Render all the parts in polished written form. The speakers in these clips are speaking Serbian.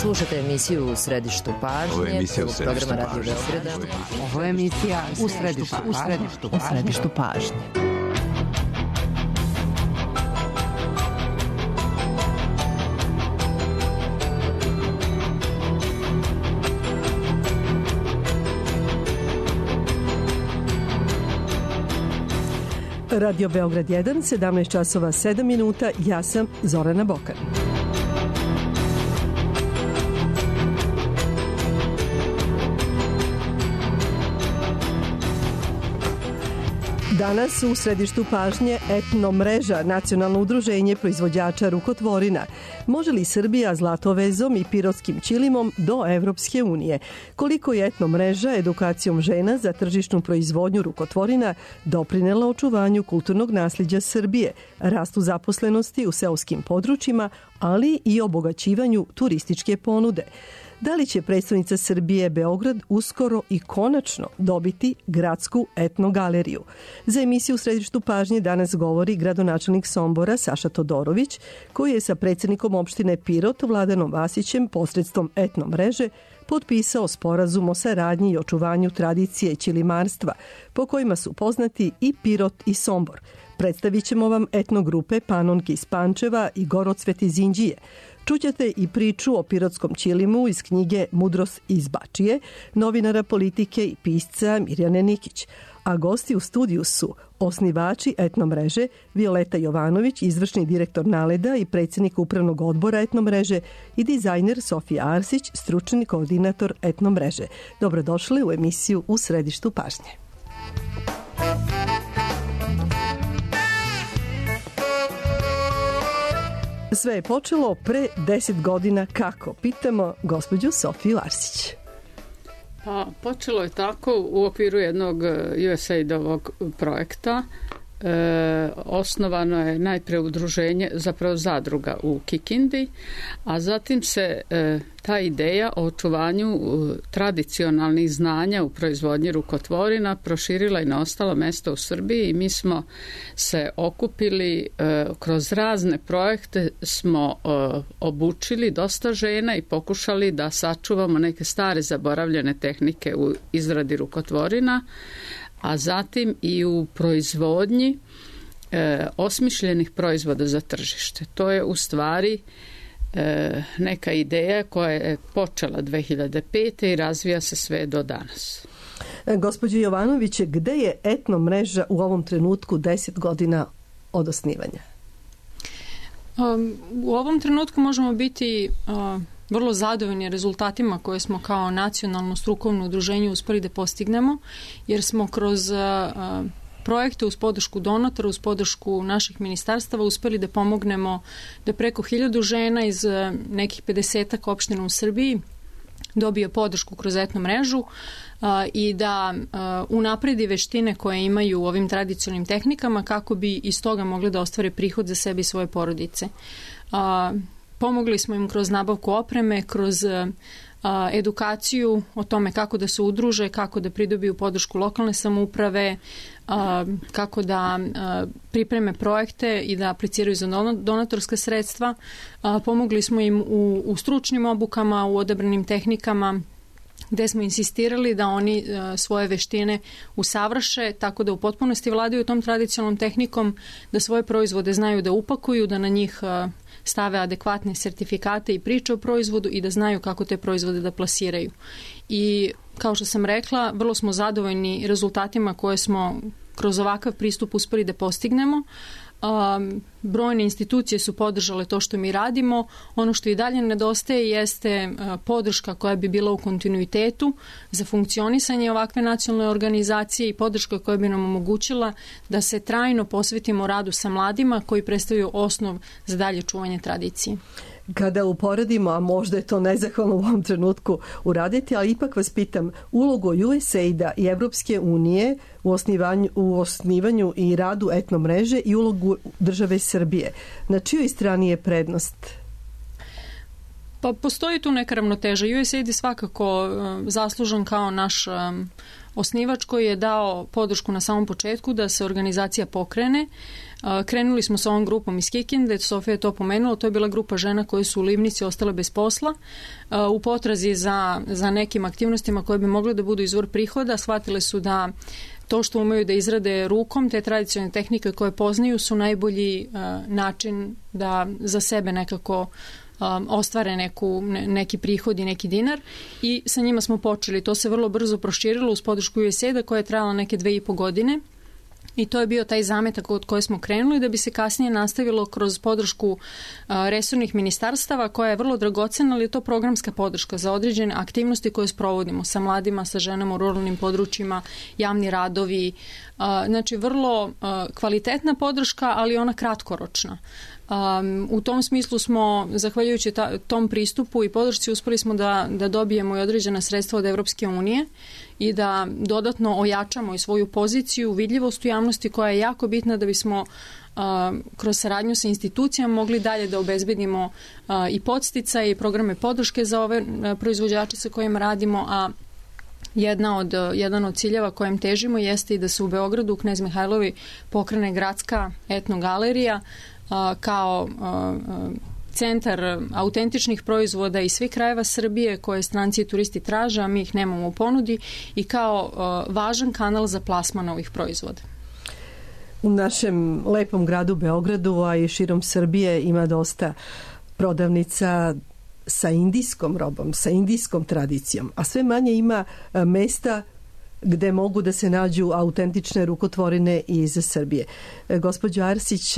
Slušate emisiju U središtu pažnje. Ovo je emisija U središtu programa Radio pažnje. Beograda. Ovo je emisija U središtu pažnje. Radio Beograd 1, 17 časova 7 minuta, ja sam Zorana Bokan. Danas u središtu pažnje Etno mreža, nacionalno udruženje proizvođača rukotvorina. Može li Srbija zlatovezom i pirotskim ćilimom do Evropske unije? Koliko je Etno mreža edukacijom žena za tržišnu proizvodnju rukotvorina doprinela očuvanju kulturnog nasljeđa Srbije, rastu zaposlenosti u seoskim područjima, ali i obogaćivanju turističke ponude? Da li će predstavnica Srbije Beograd uskoro i konačno dobiti gradsku etnogaleriju? Za emisiju U središtu pažnje danas govori gradonačelnik Sombora Saša Todorović, koji je sa predsjednikom opštine Pirot Vladanom Vasićem posredstvom Etno mreže potpisao sporazum o saradnji i očuvanju tradicije ćilimarstva, po kojima su poznati i Pirot i Sombor. Predstavit ćemo vam etnogrupe Panonke iz Pančeva i Gorocvet iz Inđije. Čućete i priču o pirotskom ćilimu iz knjige Mudrost iz Bačije, novinara politike i pisca Mirjane Nikić. A gosti u studiju su osnivači Etno mreže Violeta Jovanović, izvršni direktor Naleda i predsjednik upravnog odbora Etno mreže, i dizajner Sofija Arsić, stručni koordinator Etno mreže. Dobrodošli u emisiju U središtu pažnje. Sve je počelo pre 10 godina kako? Pitamo gospođu Sofiju Arsić. Pa, počelo je tako u okviru jednog USAID-ovog projekta. Osnovano je najpre udruženje, zapravo zadruga u Kikindi, a zatim se ta ideja o očuvanju tradicionalnih znanja u proizvodnji rukotvorina proširila i na ostalo mesto u Srbiji i mi smo se okupili kroz razne projekte, smo obučili dosta žena i pokušali da sačuvamo neke stare zaboravljene tehnike u izradi rukotvorina, a zatim i u proizvodnji osmišljenih proizvoda za tržište. To je u stvari neka ideja koja je počela 2005. i razvija se sve do danas. Gospođo Jovanović, gde je Etno mreža u ovom trenutku 10 godina od osnivanja? U ovom trenutku možemo biti vrlo zadovoljni rezultatima koje smo kao nacionalno strukovno udruženje uspeli da postignemo, jer smo kroz projekte uz podršku donatora, uz podršku naših ministarstava uspeli da pomognemo da preko 1000 žena iz nekih 50-ak opština u Srbiji dobije podršku kroz Etno mrežu i da unapredi veštine koje imaju u ovim tradicionalnim tehnikama kako bi iz toga mogli da ostvare prihod za sebe i svoje porodice. Pomogli smo im kroz nabavku opreme, kroz edukaciju o tome kako da se udruže, kako da pridobiju podršku lokalne samouprave, kako da pripreme projekte i da apliciraju za donatorska sredstva. Pomogli smo im u stručnim obukama, u odabranim tehnikama, gde smo insistirali da oni svoje veštine usavrše tako da u potpunosti vladaju tom tradicionalnom tehnikom, da svoje proizvode znaju da upakuju, da na njih stave adekvatne sertifikate i priče o proizvodu i da znaju kako te proizvode da plasiraju. I kao što sam rekla, vrlo smo zadovoljni rezultatima koje smo kroz ovakav pristup uspeli da postignemo. Brojne institucije su podržale to što mi radimo. Ono što i dalje nedostaje jeste podrška koja bi bila u kontinuitetu za funkcionisanje ovakve nacionalne organizacije i podrška koja bi nam omogućila da se trajno posvetimo radu sa mladima koji predstavljaju osnov za dalje čuvanje tradicije. Kada uporedimo, a možda je to nezahvalno u ovom trenutku uraditi, ali ipak vas pitam, ulogu USAID-a i Evropske unije u osnivanju i radu Etno mreže i ulogu države Srbije. Na čijoj strani je prednost? Pa postoji tu neka ravnoteža. USAID je svakako zaslužan kao naš osnivač koji je dao podršku na samom početku da se organizacija pokrene. Krenuli smo sa ovom grupom iz Kikinde, Sofija je to pomenula, to je bila grupa žena koje su u Livnici ostale bez posla. U potrazi za nekim aktivnostima koje bi mogle da budu izvor prihoda, shvatile su da to što umeju da izrade rukom, te tradicionalne tehnike koje poznaju su najbolji način da za sebe nekako ostvare neki prihod i neki dinar i sa njima smo počeli. To se vrlo brzo proširilo uz podršku USAID-a koja je trajala neke 2,5 godine. I to je bio taj zametak od koje smo krenuli da bi se kasnije nastavilo kroz podršku resornih ministarstava koja je vrlo dragocena, ali je to programska podrška za određene aktivnosti koje sprovodimo sa mladima, sa ženama u ruralnim područjima, javni radovi. Znači vrlo kvalitetna podrška, ali ona kratkoročna. U tom smislu smo, zahvaljujući tom pristupu i podršci, uspeli smo da dobijemo i određena sredstva od Evropske unije i da dodatno ojačamo i svoju poziciju, vidljivost u javnosti koja je jako bitna da bismo kroz saradnju sa institucijama mogli dalje da obezbedimo i podsticaje i programe podrške za ove proizvođače sa kojima radimo, a jedan od ciljeva kojem težimo jeste i da se u Beogradu u Knez Mihajlovi pokrene gradska etnogalerija kao centar autentičnih proizvoda iz svih krajeva Srbije koje stranci i turisti traže, a mi ih nemamo u ponudi, i kao važan kanal za plasman ovih proizvoda. U našem lepom gradu Beogradu, a i širom Srbije, ima dosta prodavnica sa indijskom robom, sa indijskom tradicijom, a sve manje ima mesta gde mogu da se nađu autentične rukotvorine iz Srbije. Gospođo Arsić,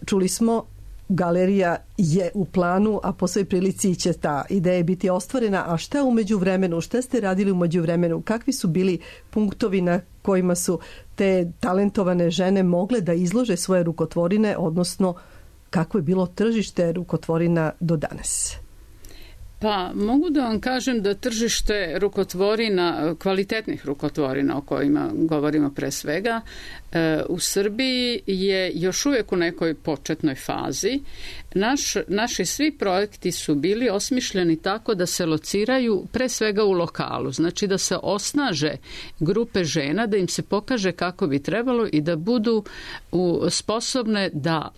čuli smo, galerija je u planu, a po svoj prilici će ta ideja biti ostvarena. A šta u međuvremenu? Šta ste radili u međuvremenu? Kakvi su bili punktovi na kojima su te talentovane žene mogle da izlože svoje rukotvorine, odnosno kako je bilo tržište rukotvorina do danas? Pa mogu da vam kažem da tržište rukotvorina, kvalitetnih rukotvorina o kojima govorimo pre svega, u Srbiji je još uvijek u nekoj početnoj fazi. Naši svi projekti su bili osmišljeni tako da se lociraju pre svega u lokalu, znači da se osnaže grupe žena, da im se pokaže kako bi trebalo i da budu sposobne da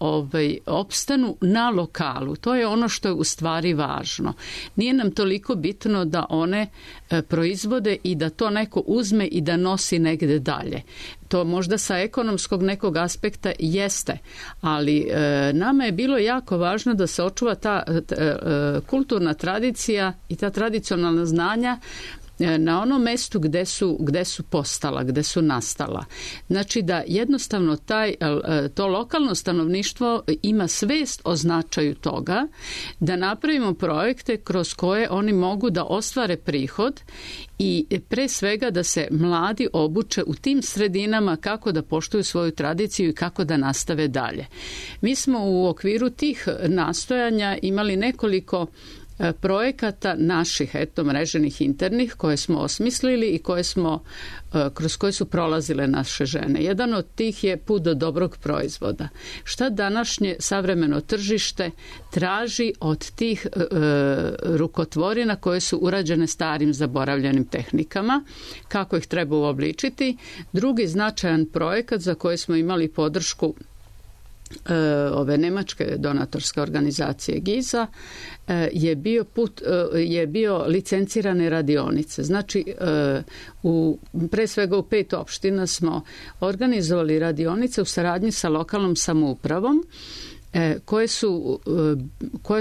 opstanu na lokalu. To je ono što je u stvari važno. Nije nam toliko bitno da one proizvode i da to neko uzme i da nosi negde dalje. To možda sa ekonomskog nekog aspekta jeste, ali nama je bilo jako važno da se očuva ta kulturna tradicija i ta tradicionalna znanja na onom mestu gde su postala, gde su nastala. Znači da jednostavno to lokalno stanovništvo ima svest o značaju toga, da napravimo projekte kroz koje oni mogu da ostvare prihod i pre svega da se mladi obuče u tim sredinama kako da poštuju svoju tradiciju i kako da nastave dalje. Mi smo u okviru tih nastojanja imali nekoliko projekata naših mreženih internih koje smo osmislili i kroz koje su prolazile naše žene. Jedan od tih je put do dobrog proizvoda. Šta današnje savremeno tržište traži od tih rukotvorina koje su urađene starim zaboravljenim tehnikama, kako ih treba uobličiti. Drugi značajan projekat za koje smo imali podršku ove nemačke donatorske organizacije GIZA je bio licencirane radionice. Znači, pre svega u 5 opština smo organizovali radionice u saradnji sa lokalnom samoupravom koje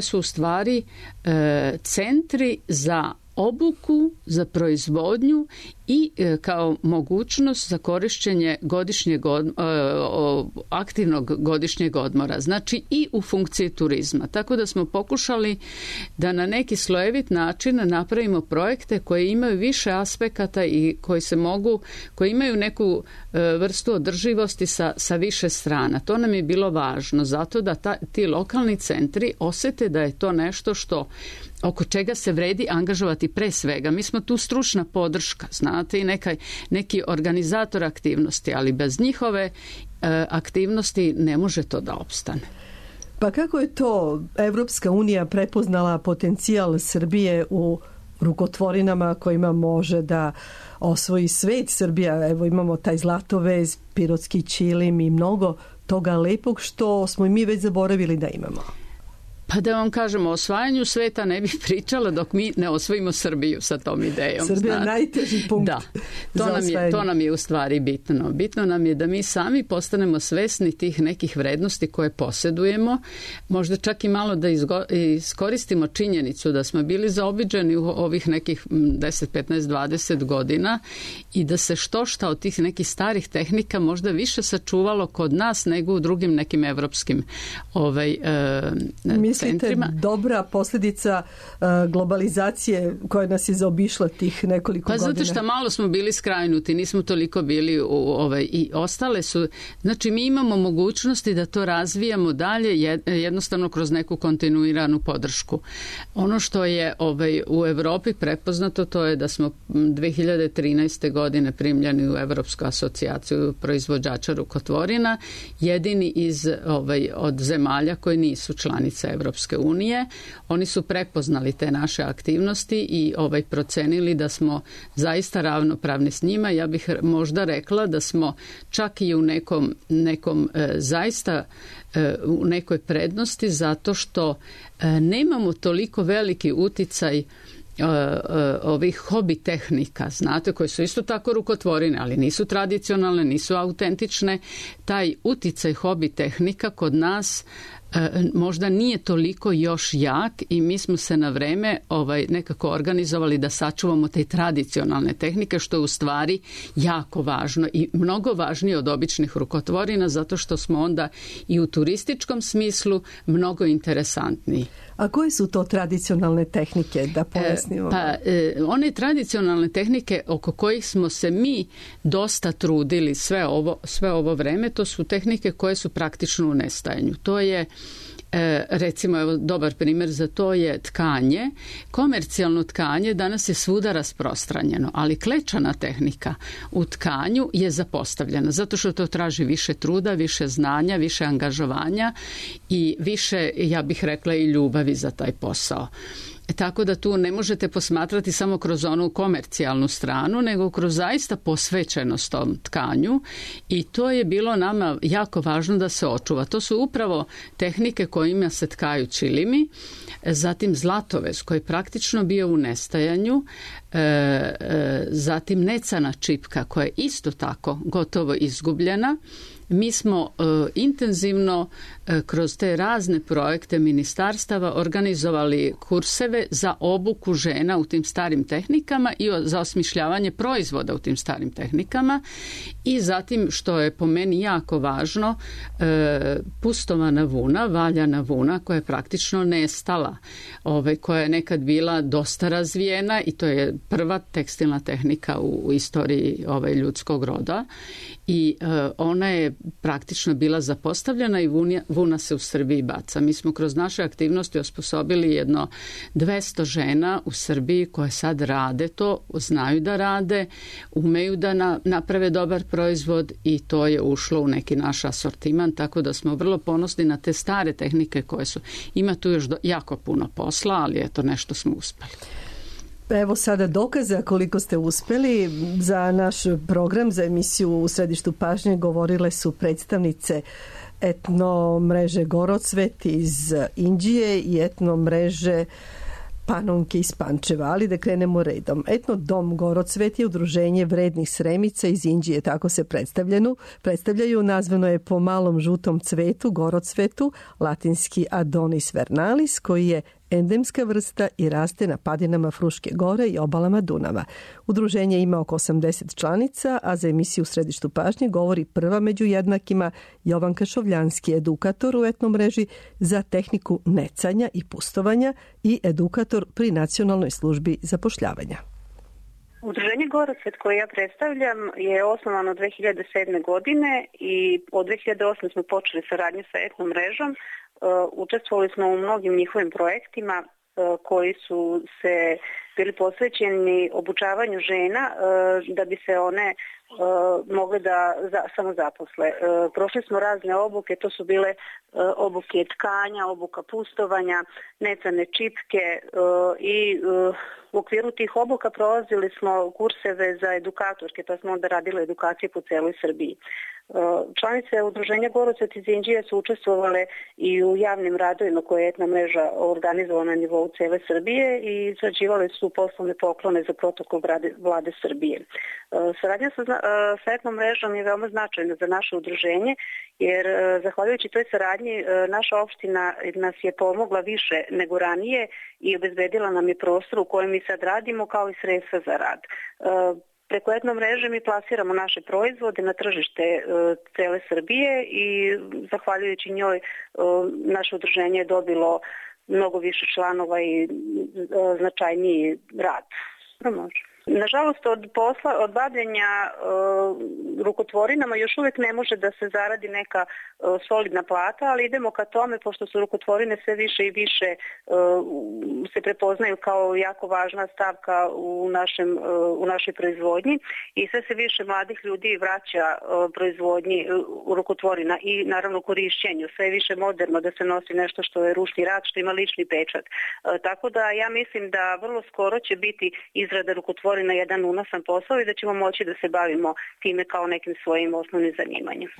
su u stvari centri za obuku, za proizvodnju i kao mogućnost za korišćenje aktivnog godišnjeg odmora, znači i u funkciji turizma. Tako da smo pokušali da na neki slojevit način napravimo projekte koje imaju više aspekata i koji imaju neku vrstu održivosti sa više strana. To nam je bilo važno, zato da ti lokalni centri osete da je to nešto oko čega se vredi angažovati pre svega. Mi smo tu stručna podrška, znate, i neki organizator aktivnosti, ali bez njihove aktivnosti ne može to da opstane. Pa kako je to Evropska unija prepoznala potencijal Srbije u rukotvorinama kojima može da osvoji svet. Srbija, evo imamo taj Zlatovez, Pirotski ćilim i mnogo toga lepog što smo i mi već zaboravili da imamo. Pa da vam kažem, o osvajanju sveta ne bih pričala dok mi ne osvojimo Srbiju sa tom idejom. Srbija je najteži punkt. Da, to nam je u stvari bitno. Bitno nam je da mi sami postanemo svesni tih nekih vrednosti koje posjedujemo, možda čak i malo da iskoristimo činjenicu da smo bili zaobiđeni u ovih nekih 10, 15, 20 godina i da se štošta od tih nekih starih tehnika možda više sačuvalo kod nas nego u drugim nekim evropskim centrima. Dobra posljedica globalizacije koja nas je zaobišla tih nekoliko godina? Pa zato što malo smo bili skrajnuti, nismo toliko bili i ostale su. Znači mi imamo mogućnosti da to razvijamo dalje jednostavno kroz neku kontinuiranu podršku. Ono što je u Evropi prepoznato to je da smo 2013. godine primljeni u Evropsku asocijaciju proizvođača rukotvorina, jedini od zemalja koji nisu članice Evropske unije. Oni su prepoznali te naše aktivnosti i procenili da smo zaista ravnopravni s njima. Ja bih možda rekla da smo čak i u nekom zaista u nekoj prednosti zato što nemamo toliko veliki uticaj ovih hobi tehnika, znate, koje su isto tako rukotvorine, ali nisu tradicionalne, nisu autentične. Taj uticaj hobi tehnika kod nas možda nije toliko još jak i mi smo se na vreme nekako organizovali da sačuvamo te tradicionalne tehnike, što je u stvari jako važno i mnogo važnije od običnih rukotvorina zato što smo onda i u turističkom smislu mnogo interesantniji. A koje su to tradicionalne tehnike, da pojasnimo? One tradicionalne tehnike oko kojih smo se mi dosta trudili sve ovo vreme, to su tehnike koje su praktično u nestajanju. To je recimo, evo, dobar primjer za to je tkanje. Komercijalno tkanje danas je svuda rasprostranjeno, ali klečana tehnika u tkanju je zapostavljena, zato što to traži više truda, više znanja, više angažovanja i više, ja bih rekla, i ljubavi za taj posao. Tako da tu ne možete posmatrati samo kroz onu komercijalnu stranu, nego kroz zaista posvećenost tom tkanju i to je bilo nama jako važno da se očuva. To su upravo tehnike kojima se tkaju ćilimi, zatim Zlatovez koji je praktično bio u nestajanju, zatim necana čipka koja je isto tako gotovo izgubljena. Mi smo intenzivno kroz te razne projekte ministarstava organizovali kurseve za obuku žena u tim starim tehnikama i za osmišljavanje proizvoda u tim starim tehnikama i zatim, što je po meni jako važno, pustovana vuna, valjana vuna koja je praktično nestala, koja je nekad bila dosta razvijena i to je prva tekstilna tehnika u istoriji ljudskog roda i ona je praktično bila zapostavljena i vuna se u Srbiji baca. Mi smo kroz naše aktivnosti osposobili jedno 200 žena u Srbiji koje sad rade to, znaju da rade, umeju da naprave dobar proizvod i to je ušlo u neki naš asortiman, tako da smo vrlo ponosni na te stare tehnike koje su. Ima tu još jako puno posla, ali eto, nešto smo uspeli. Evo sada dokaza koliko ste uspeli. Za naš program, za emisiju U središtu pažnje govorile su predstavnice etno mreže Gorocvet iz Inđije i etno mreže Panonke iz Pančeva, ali da krenemo redom. Etno dom Gorocvet je udruženje vrednih Sremica iz Inđije, tako se predstavljaju. Nazvano je po malom žutom cvetu, Gorocvetu, latinski Adonis vernalis, koji je endemska vrsta i raste na padinama Fruške gore i obalama Dunava. Udruženje ima oko 80 članica, a za emisiju U središtu pažnje govori prva među jednakima Jovanka Šovljanski, edukator u etno mreži za tehniku necanja i pustovanja i edukator pri Nacionalnoj službi zapošljavanja. Udruženje Gorocvet koje ja predstavljam je osnovano 2007. godine i od 2008. smo počeli saradnju sa etno mrežom. Učestvovali smo u mnogim njihovim projektima koji su se bili posvećeni obučavanju žena da bi se one mogle da samozaposle. Prošli smo razne obuke, to su bile obuke tkanja, obuka pustovanja, necane čipke i u okviru tih obuka prolazili smo kurseve za edukatorke, pa smo onda radili edukacije po celoj Srbiji. Članice Udruženja Gorocet iz Inđije su učestvovale i u javnim radovima koje je etna mreža organizovala na nivou cele Srbije i izrađivale su poslovne poklone za protokol vlade Srbije. Saradnja sa etnom mrežom je veoma značajna za naše udruženje, jer zahvaljujući toj saradnji naša opština nas je pomogla više nego ranije i obezbedila nam je prostor u kojem mi sad radimo kao i sredstva za rad. Preko etno mreže mi plasiramo naše proizvode na tržište cele Srbije i zahvaljujući njoj naše udruženje je dobilo mnogo više članova i značajniji rad. Nažalost, od bavljenja rukotvorinama još uvijek ne može da se zaradi neka solidna plata, ali idemo ka tome, pošto su rukotvorine sve više i više se prepoznaju kao jako važna stavka u našoj proizvodnji i sve se više mladih ljudi vraća proizvodnji rukotvorina i naravno korišćenju. Sve je više moderno da se nosi nešto što je ručni rad, što ima lični pečat. Tako da ja mislim da vrlo skoro će biti izrada rukotvorina na jedan unosan posao i da ćemo moći da se bavimo time kao nekim svojim osnovnim zanimanjem.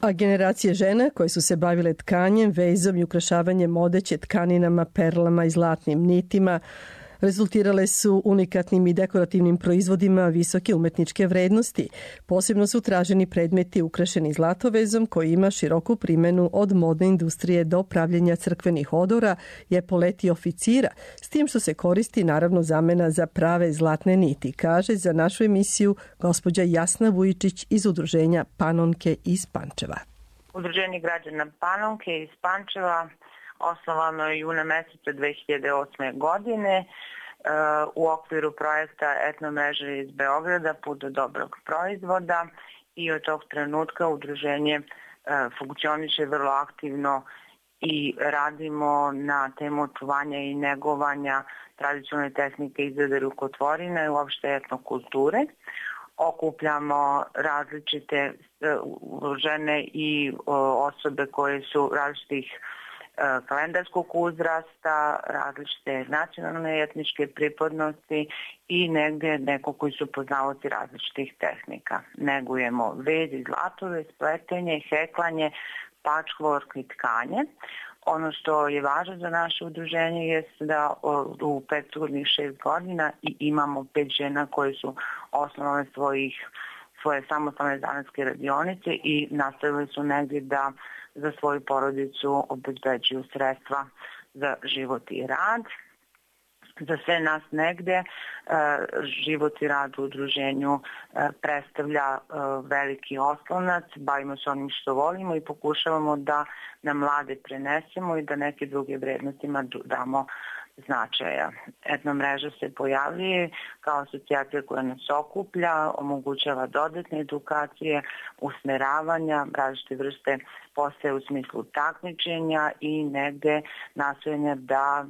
A generacije žena koje su se bavile tkanjem, vezom i ukrašavanjem odeće tkaninama, perlama i zlatnim nitima rezultirale su unikatnim i dekorativnim proizvodima visoke umetničke vrednosti. Posebno su traženi predmeti ukrašeni zlatovezom koji ima široku primenu od modne industrije do pravljenja crkvenih odora i epoleti oficira, s tim što se koristi naravno zamena za prave zlatne niti, kaže za našu emisiju gospođa Jasna Vujičić iz Udruženja Panonke iz Pančeva. Udruženje građana Panonke iz Pančeva osnovano je juna meseca 2008. godine u okviru projekta etno mreže iz Beograda Put do dobrog proizvoda i od tog trenutka udruženje funkcioniše vrlo aktivno i radimo na temu očuvanja i negovanja tradicionalne tehnike izrade rukotvorina i uopšte etnokulture. Okupljamo različite žene i osobe koje su različitih kalendarskog uzrasta, različite nacionalne i etničke pripadnosti i negdje neko koji su poznavaoci različitih tehnika. Negujemo vez i zlatove, spletenje, heklanje, patchwork i tkanje. Ono što je važno za naše udruženje je da u prethodnih 6 godina imamo 5 žena koje su osnovale svoje samostalne zanatske radionice i nastavili su negdje da za svoju porodicu obezbeđuju sredstva za život i rad. Za sve nas negde život i rad u udruženju predstavlja veliki oslonac, bavimo se onim što volimo i pokušavamo da na mlade prenesemo i da neke druge vrednostima damo značaja. Etno mreža se pojavljuje kao asocijacija koja nas okuplja, omogućava dodatne edukacije, usmeravanja, različite vrste postaje u smislu takmičenja i negde nastojanja da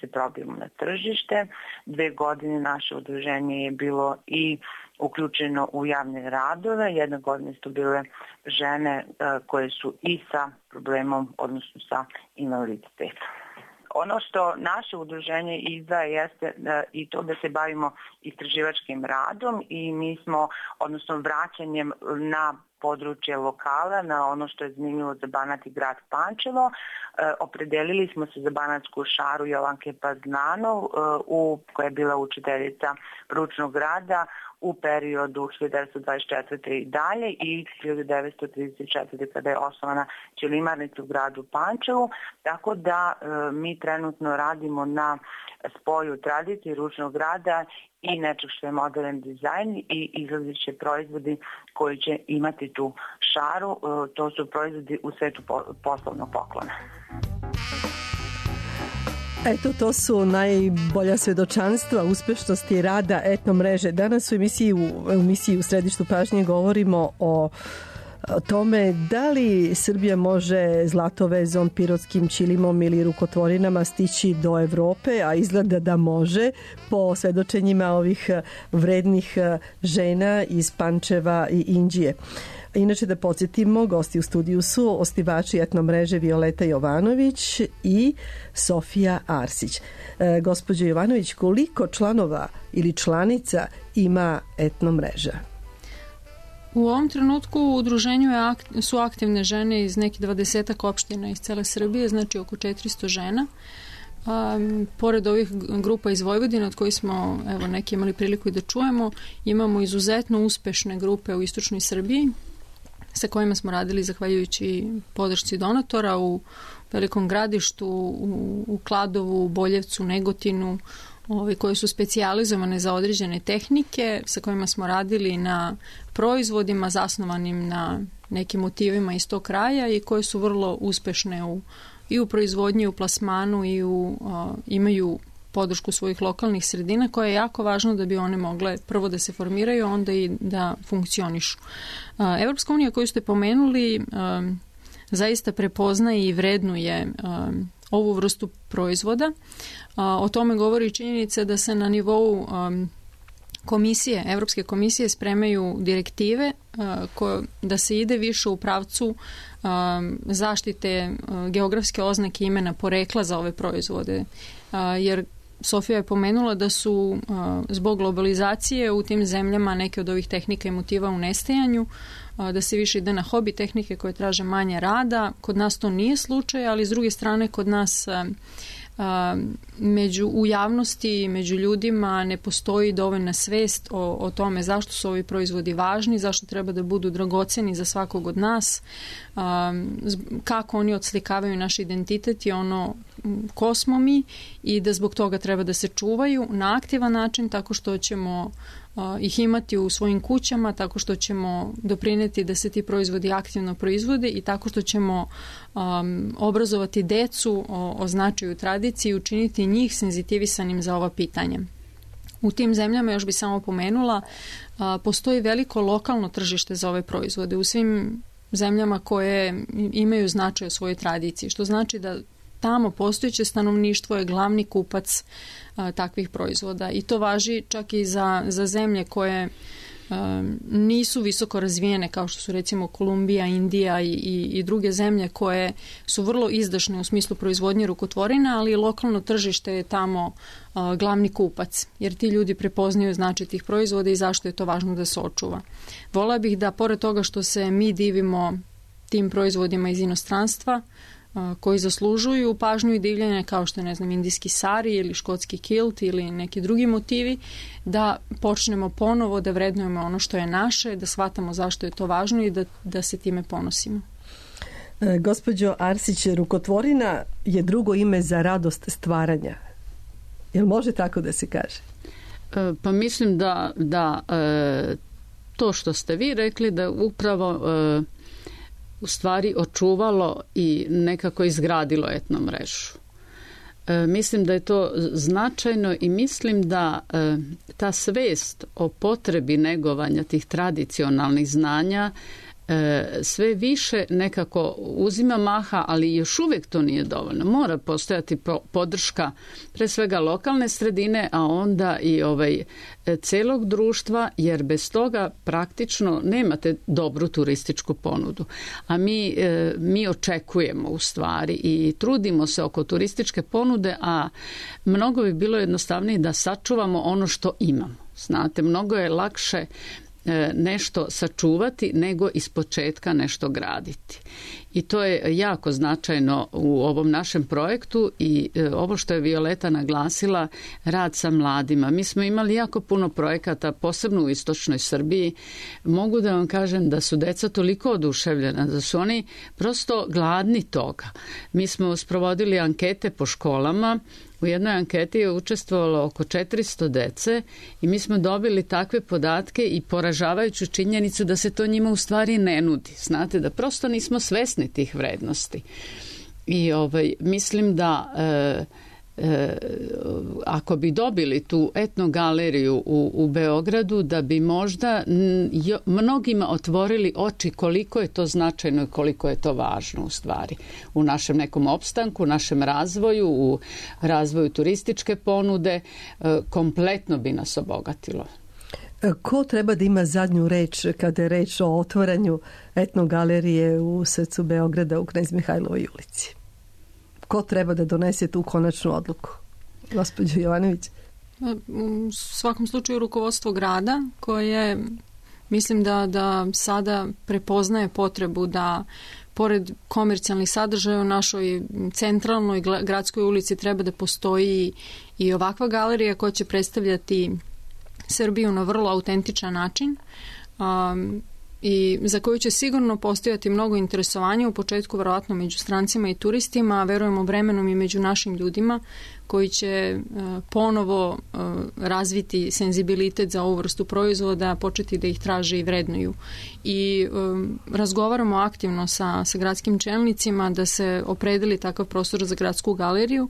se probijemo na tržište. 2 godine naše udruženje je bilo i uključeno u javne radove. 1 godina su bile žene koje su i sa problemom, odnosno sa invaliditetom. Ono što naše udruženje izdaje jeste i to da se bavimo istraživačkim radom i mi smo, odnosno vraćanjem na područje lokala, na ono što je zanimljivo za Banat i grad Pančevo. Opredelili smo se za banatsku šaru Jovanke Paznanov, koja je bila učiteljica ručnog rada u periodu 1924. i dalje i 1934. kada je osnovana ćelimarnica u gradu Pančevu, tako da mi trenutno radimo na spoju tradicije ručnog rada i nečeg što je modern dizajn i izlazit će proizvodi koji će imati tu šaru. To su proizvodi u svetu poslovnog poklona. Eto, to su najbolja svedočanstva uspešnosti rada etno mreže. Danas u emisiji u središtu pažnje govorimo o o tome da li Srbija može zlatovezom, pirotskim ćilimom ili rukotvorinama stići do Evrope, a izgleda da može po svedočenjima ovih vrednih žena iz Pančeva i Inđije. Inače, da podsjetimo, gosti u studiju su osnivači etnomreže Violeta Jovanović i Sofija Arsić. Gospođo Jovanović, koliko članova ili članica ima etnomreža? U ovom trenutku u udruženju su aktivne žene iz nekih 20 opština iz cele Srbije, znači oko 400 žena. Pored ovih grupa iz Vojvodine, od kojih smo neki imali priliku i da čujemo, imamo izuzetno uspešne grupe u istočnoj Srbiji, sa kojima smo radili zahvaljujući podršci donatora u Velikom Gradištu, u Kladovu, Boljevcu, Negotinu, koje su specijalizovane za određene tehnike, sa kojima smo radili na proizvodima zasnovanim na nekim motivima iz tog kraja i koje su vrlo uspešne i u proizvodnji, i u plasmanu i imaju podršku svojih lokalnih sredina, koja je jako važno da bi one mogle prvo da se formiraju, onda i da funkcionišu. Evropska unija koju ste pomenuli zaista prepoznaje i vrednuje ovu vrstu proizvoda. O tome govori činjenica da se na nivou Evropske komisije spremaju direktive da se ide više u pravcu zaštite geografske oznake imena porekla za ove proizvode, jer Sofija je pomenula da su zbog globalizacije u tim zemljama neke od ovih tehnika i motiva u nestajanju, da se više ide na hobi tehnike koje traže manje rada. Kod nas to nije slučaj, ali s druge strane kod nas u javnosti, među ljudima ne postoji dovoljna svest o tome zašto su ovi proizvodi važni, zašto treba da budu dragoceni za svakog od nas, kako oni odslikavaju naš identitet i ono ko smo mi, i da zbog toga treba da se čuvaju na aktivan način, tako što ćemo ih imati u svojim kućama, tako što ćemo doprineti da se ti proizvodi aktivno proizvode i tako što ćemo obrazovati decu o značaju tradicije i učiniti njih senzitivisanim za ova pitanja. U tim zemljama, još bi samo pomenula, postoji veliko lokalno tržište za ove proizvode u svim zemljama koje imaju značaj o svojoj tradiciji, što znači da tamo postojeće stanovništvo je glavni kupac takvih proizvoda, i to važi čak i za zemlje koje nisu visoko razvijene, kao što su recimo Kolumbija, Indija i druge zemlje koje su vrlo izdašne u smislu proizvodnje rukotvorina, ali lokalno tržište je tamo glavni kupac, jer ti ljudi prepoznaju značaj tih proizvoda i zašto je to važno da se očuva. Volila bih da, pored toga što se mi divimo tim proizvodima iz inostranstva, koji zaslužuju pažnju i divljenje, kao što je, indijski sari ili škotski kilt ili neki drugi motivi, da počnemo ponovo da vrednujemo ono što je naše, da shvatamo zašto je to važno i da se time ponosimo. Gospođo Arsić, rukotvorina je drugo ime za radost stvaranja. Jel može tako da se kaže? Pa mislim da to što ste vi rekli, da upravo u stvari očuvalo i nekako izgradilo etnomrežu. Mislim da je to značajno i mislim da ta svest o potrebi negovanja tih tradicionalnih znanja sve više nekako uzima maha, ali još uvijek to nije dovoljno. Mora postojati podrška pre svega lokalne sredine, a onda i celog društva, jer bez toga praktično nemate dobru turističku ponudu. A mi očekujemo u stvari i trudimo se oko turističke ponude, a mnogo bi bilo jednostavnije da sačuvamo ono što imamo. Znate, mnogo je lakše nešto sačuvati nego ispočetka nešto graditi. I to je jako značajno u ovom našem projektu i ovo što je Violeta naglasila, rad sa mladima. Mi smo imali jako puno projekata, posebno u istočnoj Srbiji. Mogu da vam kažem da su deca toliko oduševljena, da su oni prosto gladni toga. Mi smo sprovodili ankete po školama. U jednoj anketi je učestvovalo oko 400 dece i mi smo dobili takve podatke i poražavajuću činjenicu da se to njima u stvari ne nudi. Znate, da prosto nismo svesni tih vrednosti. I mislim da ako bi dobili tu etnogaleriju u Beogradu, da bi možda mnogima otvorili oči koliko je to značajno i koliko je to važno u stvari u našem nekom opstanku, u našem razvoju, u razvoju turističke ponude, kompletno bi nas obogatilo. Ko treba da ima zadnju reč kada je reč o otvaranju etnogalerije u srcu Beograda u Knez Mihajlovoj ulici? Ko treba da donese tu konačnu odluku? Gospođo Jovanović? U svakom slučaju rukovodstvo grada koje mislim da sada prepoznaje potrebu da pored komercijalnih sadržaja u našoj centralnoj gradskoj ulici treba da postoji i ovakva galerija koja će predstavljati Srbiju na vrlo autentičan način i za koju će sigurno postojati mnogo interesovanja, u početku verovatno među strancima i turistima, a verujemo vremenom i među našim ljudima koji će ponovo razviti senzibilitet za ovu vrstu proizvoda, početi da ih traže i vrednuju. I razgovaramo aktivno sa gradskim čelnicima da se opredeli takav prostor za gradsku galeriju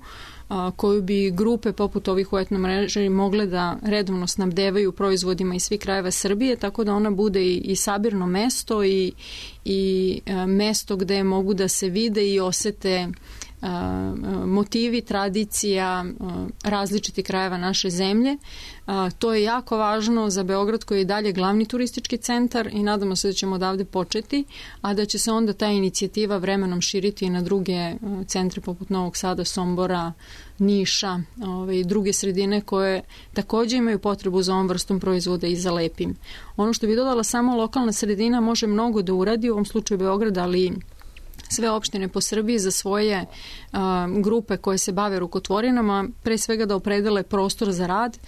koju bi grupe poput ovih u etnomreži mogle da redovno snabdevaju proizvodima iz svih krajeva Srbije, tako da ona bude i sabirno mesto i mesto gde mogu da se vide i osete motivi, tradicija različitih krajeva naše zemlje. To je jako važno za Beograd koji je dalje glavni turistički centar i nadamo se da ćemo odavde početi, a da će se onda ta inicijativa vremenom širiti i na druge centre poput Novog Sada, Sombora, Niša i druge sredine koje također imaju potrebu za ovom vrstom proizvoda i za lepim. Ono što bi dodala, samo lokalna sredina može mnogo da uradi, u ovom slučaju Beograd, ali sve opštine po Srbiji za svoje grupe koje se bave rukotvorinama, pre svega da opredele prostor za rad,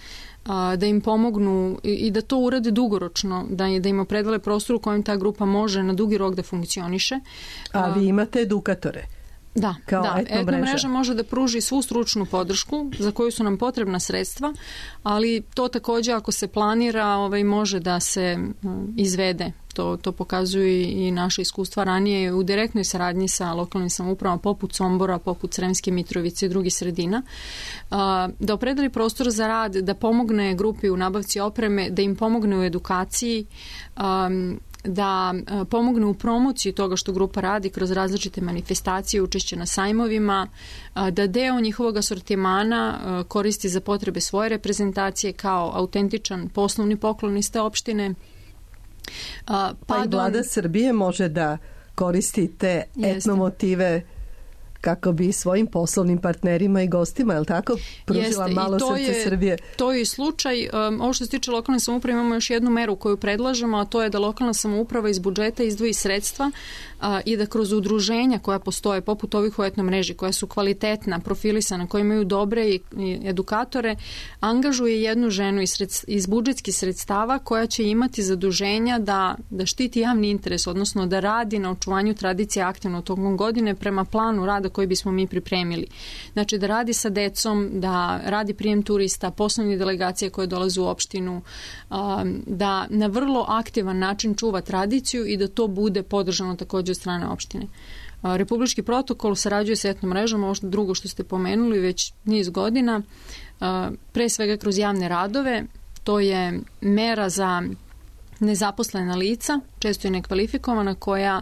da im pomognu i da to urade dugoročno, da im opredele prostor u kojem ta grupa može na dugi rok da funkcioniše. A vi imate edukatore? Da, etnomreža može da pruži svu stručnu podršku za koju su nam potrebna sredstva, ali to također ako se planira može da se izvede. To pokazuju i naše iskustva ranije u direktnoj saradnji sa lokalnim samoupravama poput Sombora, poput Sremske Mitrovice i drugih sredina. Da opredeli prostor za rad, da pomogne grupi u nabavci opreme, da im pomogne u edukaciji, da pomogne u promociji toga što grupa radi kroz različite manifestacije, učešće na sajmovima, da deo njihovog asortimana koristi za potrebe svoje reprezentacije kao autentičan poslovni poklon iz te opštine. Pa i vlada Srbije može da koristi te etnomotive kako bi svojim poslovnim partnerima i gostima, je li tako, pružila malo srce Srbije? To je i slučaj. Ovo što se tiče lokalne samouprave, imamo još jednu meru koju predlažemo, a to je da lokalna samouprava iz budžeta izdvoji sredstva i da kroz udruženja koja postoje, poput ovih u etnomreži, koja su kvalitetna, profilisana, koja imaju dobre i edukatore, angažuje jednu ženu iz budžetskih sredstava koja će imati zaduženja da štiti javni interes, odnosno da radi na očuvanju tradicije aktivno tokom godine prema planu rada koji bismo mi pripremili. Znači da radi sa decom, da radi prijem turista, poslovne delegacije koje dolaze u opštinu, da na vrlo aktivan način čuva tradiciju i da to bude podržano također od strane opštine. Republički protokol sarađuje sa etnomrežom, ovo drugo što ste pomenuli već niz godina, pre svega kroz javne radove. To je mera za nezaposlena lica, često i nekvalifikovana, koja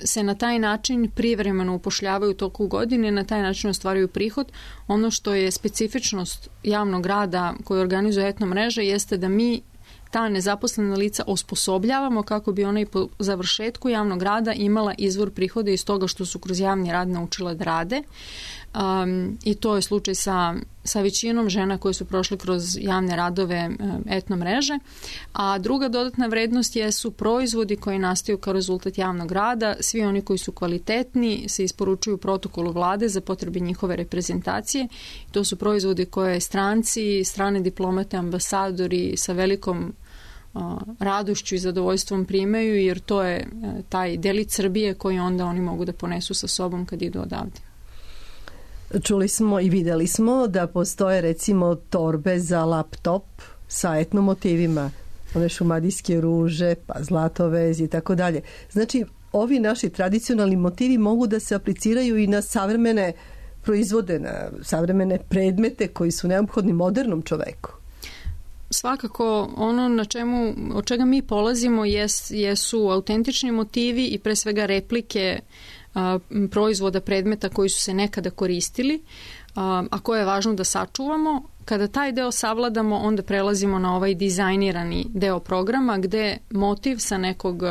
se na taj način privremeno upošljavaju u toku godine, na taj način ostvaruju prihod. Ono što je specifičnost javnog rada koji organizuje etnomreža jeste da mi ta nezaposlena lica osposobljavamo kako bi ona i po završetku javnog rada imala izvor prihoda iz toga što su kroz javni rad naučila da rade. I to je slučaj sa većinom žena koje su prošle kroz javne radove etnomreže. A druga dodatna vrednost jesu proizvodi koji nastaju kao rezultat javnog rada. Svi oni koji su kvalitetni se isporučuju protokolu vlade za potrebe njihove reprezentacije. To su proizvodi koje stranci, strane diplomate, ambasadori sa velikom radošću i zadovoljstvom primaju, jer to je taj delić Srbije koji onda oni mogu da ponesu sa sobom kad idu odavde. Čuli smo i videli smo da postoje recimo torbe za laptop sa etnomotivima, one šumadijske ruže, pa zlatovez i tako dalje. Znači, ovi naši tradicionalni motivi mogu da se apliciraju i na savremene proizvode, na savremene predmete koji su neophodni modernom čoveku? Svakako ono od čega mi polazimo jesu autentični motivi i pre svega replike proizvoda, predmeta koji su se nekada koristili, a koje je važno da sačuvamo. Kada taj deo savladamo, onda prelazimo na ovaj dizajnirani deo programa gde motiv sa nekog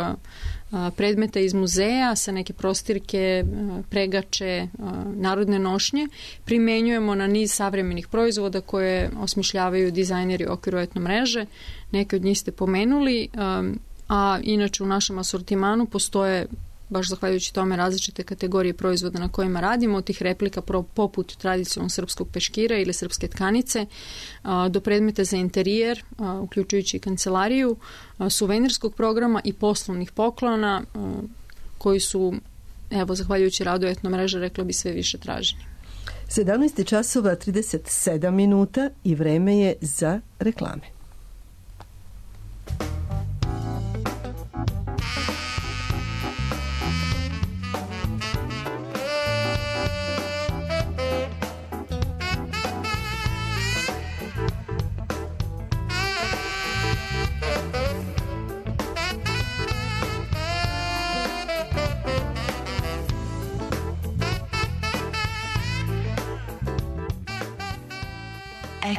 predmeta iz muzeja, sa neke prostirke, pregače, narodne nošnje, primenjujemo na niz savremenih proizvoda koje osmišljavaju dizajneri u okviru etno mreže. Neke od njih ste pomenuli, a inače u našem asortimanu postoje, baš zahvaljujući tome, različite kategorije proizvoda na kojima radimo, od tih replika poput tradicionalnog srpskog peškira ili srpske tkanice, do predmeta za interijer, uključujući kancelariju, suvenirskog programa i poslovnih poklona, koji su, evo, zahvaljujući radu etno mreže, rekla bi, sve više traženi. 17 časova 37 minuta i vreme je za reklame.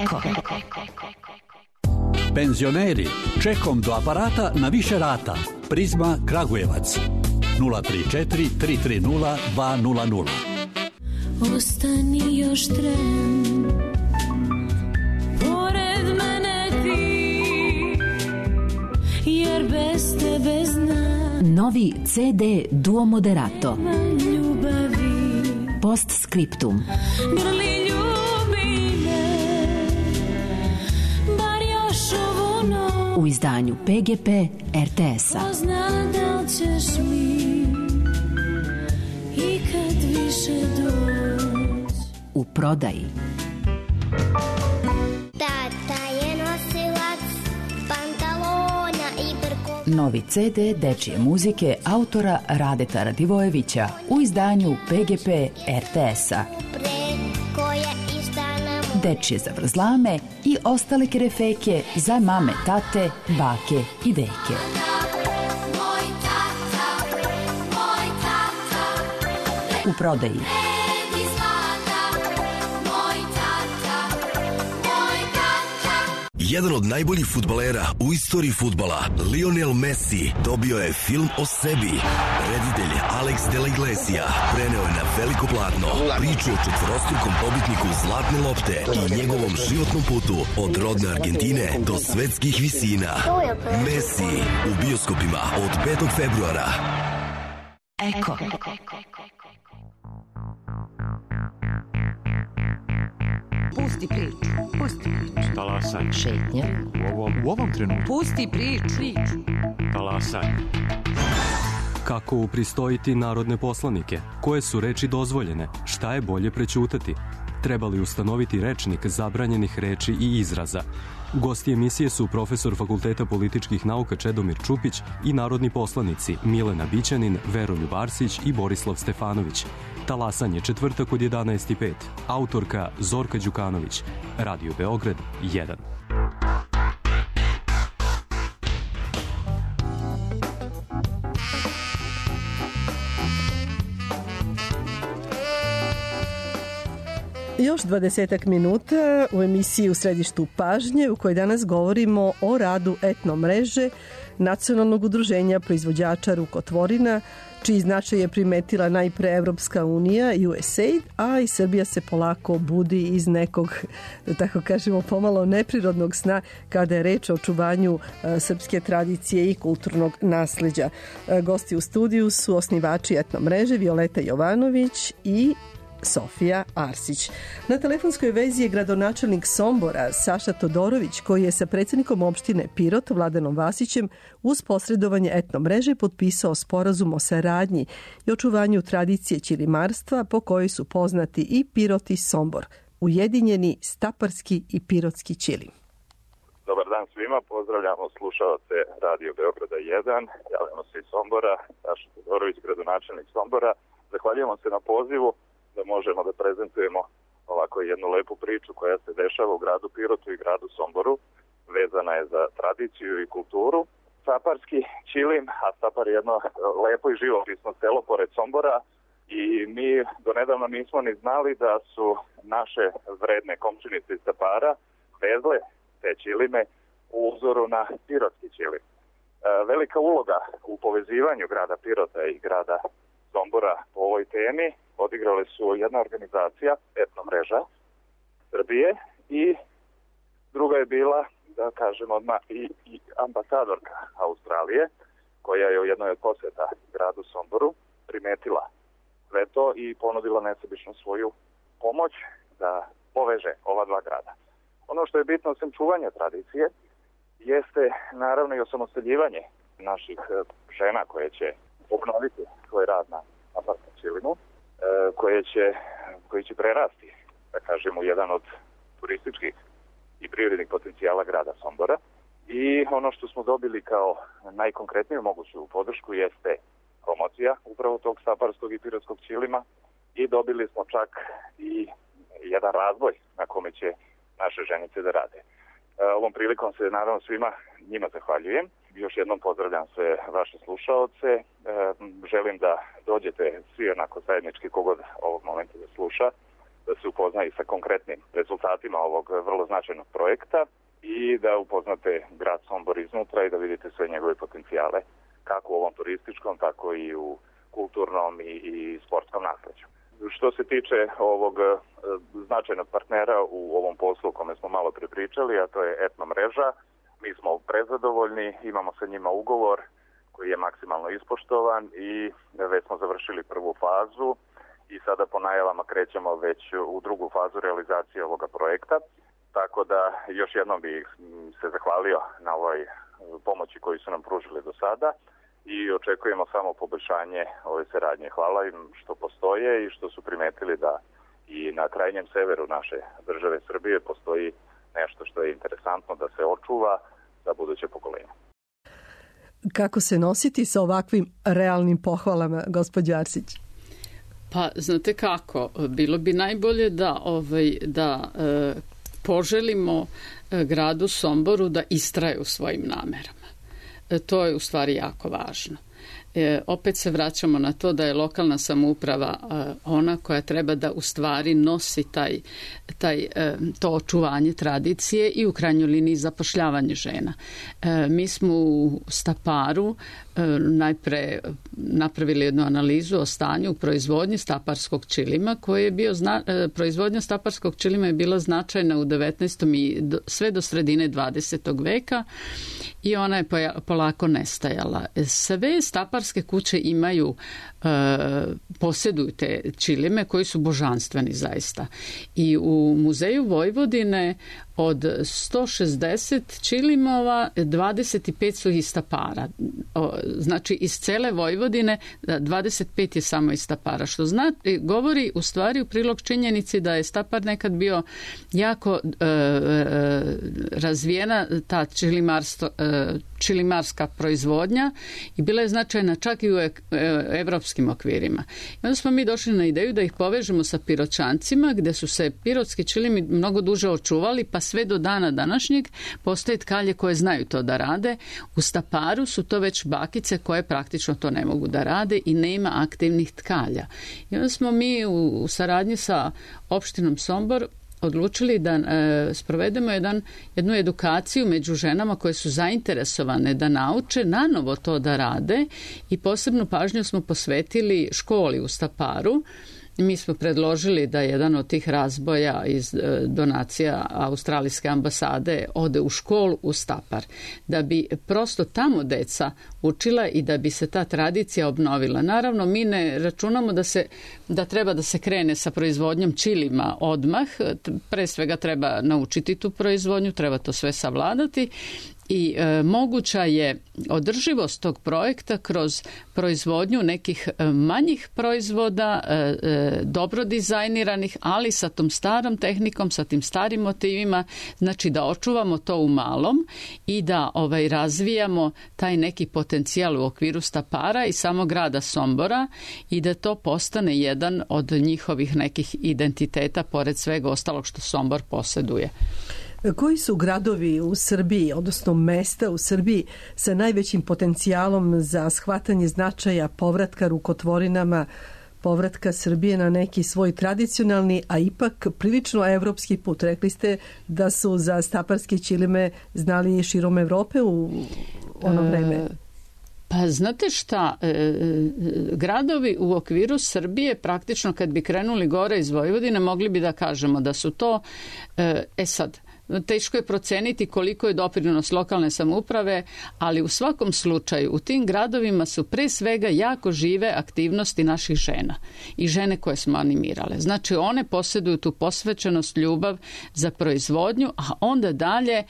Eko. Penzioneri, čekom do aparata na više rata. Prizma Kragujevac 034 330 200. Ostani još tren, pored mene ti, jer bez tebe znam. Novi CD Duo Moderato. Ljubavi. Postscriptum. Grli ljubi me, bar još ovu noć. U izdanju PGP RTS-a. Pozna da li ćeš mi ikad više doći. U prodaji. Tata je nosilac pantalona i brko. Novi CD dečije muzike autora Radeta Radivojevića u izdanju PGP RTS-a. Preko je istana mu. Dečije zavrzlame i ostale kerefeke za mame, tate, bake i deke. Moj tata, U prodaji. Edi zlata, moj tata. Jedan od najboljih fudbalera u istoriji fudbala, Lionel Messi, dobio je film o sebi. Reditelj Alex de la Iglesia preneo je na veliko platno priču o četvorostrukom pobitniku Zlatne lopte i njegovom životnom putu od rodne Argentine do svetskih visina. Messi u bioskopima od 5. februara. Eko. Pusti priču. Talasaj. Šetnja. U ovom trenutku. Pusti priču. Talasaj. Kako upristojiti narodne poslanike? Koje su reči dozvoljene? Šta je bolje prećutati? Treba li ustanoviti rečnik zabranjenih reči i izraza? Gosti emisije su profesor Fakulteta političkih nauka Čedomir Čupić i narodni poslanici Milena Bićanin, Veroljub Arsić i Borislav Stefanović. Talasanje četvrtak od 11:05. Autorka Zorka Đukanović. Radio Beograd 1. Još 20 minuta u emisiji U središtu pažnje u kojoj danas govorimo o radu etno mreže Nacionalnog udruženja proizvođača rukotvorina, čiji značaj je primetila najpre Evropska unija, USAID, a i Srbija se polako budi iz nekog, da tako kažemo, pomalo neprirodnog sna kada je reč o očuvanju srpske tradicije i kulturnog nasleđa. Gosti u studiju su osnivači etno mreže Violeta Jovanović i Sofija Arsić. Na telefonskoj vezi je gradonačelnik Sombora Saša Todorović, koji je sa predsjednikom opštine Pirot Vladanom Vasićem uz posredovanje etno mreže potpisao sporazum o saradnji i očuvanju tradicije ćilimarstva po kojoj su poznati i Pirot i Sombor, ujedinjeni staparski i pirotski ćilim. Dobar dan svima, pozdravljamo slušalce Radio Beograda 1, javljamo se iz Sombora, Saša Todorović, gradonačelnik Sombora. Zahvaljujemo se na pozivu da možemo da prezentujemo ovako jednu lepu priču koja se dešava u gradu Pirotu i gradu Somboru. Vezana je za tradiciju i kulturu. Staparski ćilim, a Stapar je jedno lepo i živopisno selo pored Sombora i mi donedavno nismo ni znali da su naše vredne komšinice iz Stapara vezle te ćilime u uzoru na pirotski ćilim. Velika uloga u povezivanju grada Pirota i grada Sombora po ovoj temi odigrale su jedna organizacija, Etno mreža Srbije, i druga je bila, da kažem odmah, i ambasadorka Australije, koja je u jednoj od posjeta gradu Somboru primetila sve to i ponudila nesebično svoju pomoć da poveže ova dva grada. Ono što je bitno osim čuvanja tradicije jeste naravno i osamostaljivanje naših žena koje će obnoviti svoj rad na Staparskom ćilimu, koji će prerasti, da kažemo, u jedan od turističkih i privrednih potencijala grada Sombora. I ono što smo dobili kao najkonkretniju moguću podršku jeste promocija upravo tog staparskog i pirotskog ćilima i dobili smo čak i jedan razvoj na kome će naše ženice da rade. Ovom prilikom se naravno svima njima zahvaljujem. Još jednom pozdravljam sve vaše slušaoce. Želim da dođete svi onako zajednički kogod ovog momenta da sluša, da se upozna i sa konkretnim rezultatima ovog vrlo značajnog projekta i da upoznate grad Sombor iznutra i da vidite sve njegove potencijale, kako u ovom turističkom, tako i u kulturnom i sportskom nasleđu. Što se tiče ovog značajnog partnera u ovom poslu o kome smo malo prepričali, a to je Etno mreža, mi smo prezadovoljni, imamo sa njima ugovor koji je maksimalno ispoštovan i već smo završili prvu fazu i sada po najavama krećemo već u drugu fazu realizacije ovoga projekta. Tako da još jednom bih se zahvalio na ovoj pomoći koju su nam pružili do sada i očekujemo samo poboljšanje ove saradnje. Hvala im što postoje i što su primetili da i na krajnjem severu naše države Srbije postoji nešto što je interesantno da se očuva za buduće pokolenje. Kako se nositi sa ovakvim realnim pohvalama, gospođo Arsić? Pa, znate kako, bilo bi najbolje da poželimo gradu Somboru da istraje u svojim namerama. To je u stvari jako važno. Opet se vraćamo na to da je lokalna samouprava ona koja treba da u stvari nosi to očuvanje tradicije i u krajnjoj liniji zapošljavanje žena. Mi smo u Staparu najpre napravili jednu analizu o stanju u proizvodnji staparskog ćilima, koji je bio proizvodnja staparskog ćilima je bila značajna u 19. i sve do sredine 20. veka i ona je polako nestajala. Sve staparske kuće imaju, posjeduju te ćilime koji su božanstveni zaista. I u Muzeju Vojvodine od 160 ćilimova 25 su iz Stapara. Znači iz cele Vojvodine 25 je samo iz Stapara, što govori u stvari u prilog činjenici da je Stapar nekad bio jako razvijena ta ćilimarska proizvodnja i bila je značajna čak i u evropskim okvirima. I onda smo mi došli na ideju da ih povežemo sa Piroćancima, gde su se pirotski ćilimi mnogo duže očuvali, pa sve do dana današnjeg postoje tkalje koje znaju to da rade. U Staparu su to već bakice koje praktično to ne mogu da rade i nema aktivnih tkalja. I onda smo mi u saradnji sa opštinom Sombor odlučili da sprovedemo jednu edukaciju među ženama koje su zainteresovane da nauče nanovo to da rade i posebnu pažnju smo posvetili školi u Staparu. Mi smo predložili da jedan od tih razboja iz donacija Australijske ambasade ode u školu u Stapar, da bi prosto tamo deca učila i da bi se ta tradicija obnovila. Naravno, mi ne računamo da treba da se krene sa proizvodnjom ćilima odmah. Pre svega treba naučiti tu proizvodnju, treba to sve savladati i moguća je održivost tog projekta kroz proizvodnju nekih manjih proizvoda, dobro dizajniranih, ali sa tom starom tehnikom, sa tim starim motivima, znači da očuvamo to u malom i da razvijamo taj neki potencijal u okviru Stapara i samog grada Sombora i da to postane jedan od njihovih nekih identiteta pored svega ostalog što Sombor posjeduje. Koji su gradovi u Srbiji, odnosno mesta u Srbiji sa najvećim potencijalom za shvatanje značaja povratka rukotvorinama, povratka Srbije na neki svoj tradicionalni, a ipak prilično evropski put? Rekli ste da su za staparske ćilime znali širom Evrope u ono vreme. Pa znate šta, gradovi u okviru Srbije praktično kad bi krenuli gore iz Vojvodine mogli bi da kažemo da su to, sad, teško je proceniti koliko je doprinos lokalne samouprave, ali u svakom slučaju u tim gradovima su pre svega jako žive aktivnosti naših žena i žene koje smo animirale. Znači one posjeduju tu posvećenost, ljubav za proizvodnju, a onda dalje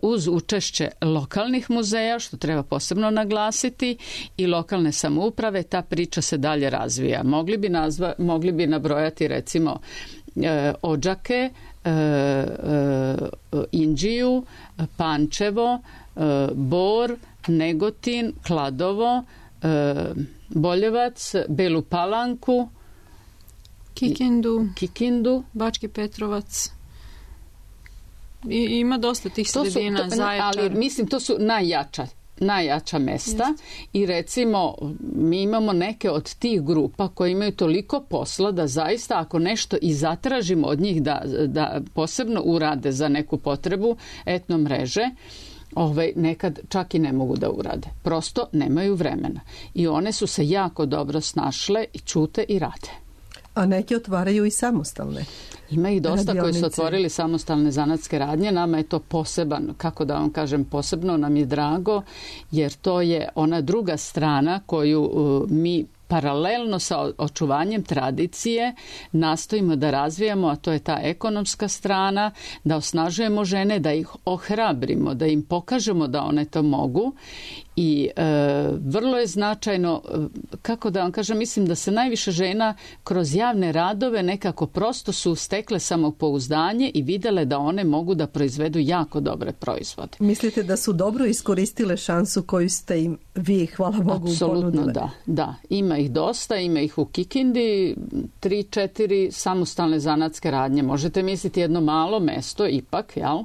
uz učešće lokalnih muzeja, što treba posebno naglasiti, i lokalne samouprave, ta priča se dalje razvija. Mogli bi nabrojati recimo Odžake, Inđiju, Pančevo, Bor, Negotin, Kladovo, Boljevac, Belu Palanku, Kikindu, Bački Petrovac. Ima dosta tih sredina, Zaječar. Ali mislim to su najjača mesta i recimo mi imamo neke od tih grupa koje imaju toliko posla da zaista ako nešto i zatražimo od njih da posebno urade za neku potrebu etno mreže, nekad čak i ne mogu da urade. Prosto nemaju vremena. I one su se jako dobro snašle i ćute i rade. A neke otvaraju i samostalne. Ima ih dosta koji su otvorili samostalne zanatske radnje. Nama je to poseban, kako da vam kažem, posebno nam je drago, jer to je ona druga strana koju mi paralelno sa očuvanjem tradicije nastojimo da razvijamo, a to je ta ekonomska strana, da osnažujemo žene, da ih ohrabrimo, da im pokažemo da one to mogu. I vrlo je značajno, kako da vam kažem, mislim da se najviše žena kroz javne radove nekako prosto su stekle samopouzdanje i videle da one mogu da proizvedu jako dobre proizvode. Mislite da su dobro iskoristile šansu koju ste im vi, hvala Bogu, apsolutno ponudile? Da. Ima ih dosta, ima ih u Kikindi, 3-4 samostalne zanatske radnje. Možete misliti jedno malo mesto ipak, jel?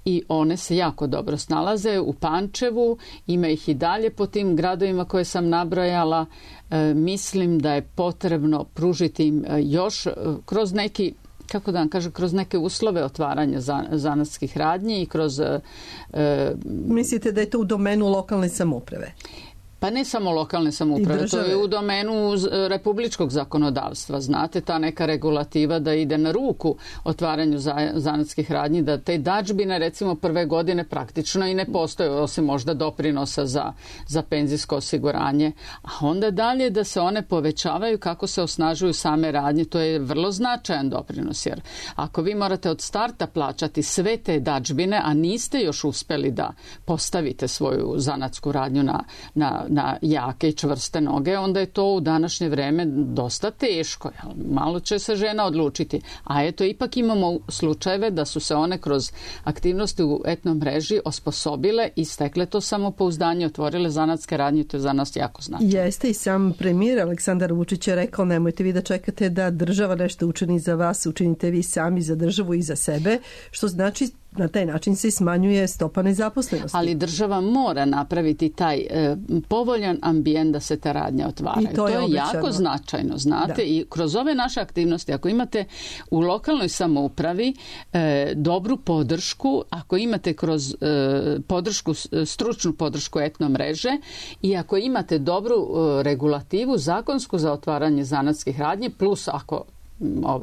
I one se jako dobro snalaze. U Pančevu ima ih i dalje po tim gradovima koje sam nabrojala. Mislim da je potrebno pružiti im još kroz neki, kako da vam kažem, kroz neke uslove otvaranja zanatskih radnji i kroz... Mislite da je to u domenu lokalne samouprave? Pa ne samo lokalne samouprave, to je u domenu republičkog zakonodavstva. Znate, ta neka regulativa da ide na ruku otvaranju zanatskih radnji, da te dadžbine recimo prve godine praktično i ne postoje, osim možda doprinosa za penzijsko osiguranje. A onda dalje da se one povećavaju kako se osnažuju same radnje, to je vrlo značajan doprinos. Jer ako vi morate od starta plaćati sve te dadžbine, a niste još uspeli da postavite svoju zanatsku radnju na jake i čvrste noge, onda je to u današnje vreme dosta teško. Malo će se žena odlučiti. A eto, ipak imamo slučajeve da su se one kroz aktivnosti u etno mreži osposobile i stekle to samopouzdanje, otvorile zanatske radnje, to je za nas jako značajno. Jeste, i sam premijer Aleksandar Vučić je rekao, nemojte vi da čekate da država nešto učini za vas, učinite vi sami za državu i za sebe, što znači na taj način se smanjuje stopa nezaposlenosti. Ali država mora napraviti taj povoljan ambijent da se ta radnja otvaraju. To je jako značajno, znate. I kroz ove naše aktivnosti, ako imate u lokalnoj samoupravi dobru podršku, ako imate kroz stručnu podršku etno mreže i ako imate dobru regulativu zakonsku za otvaranje zanatskih radnji, plus ako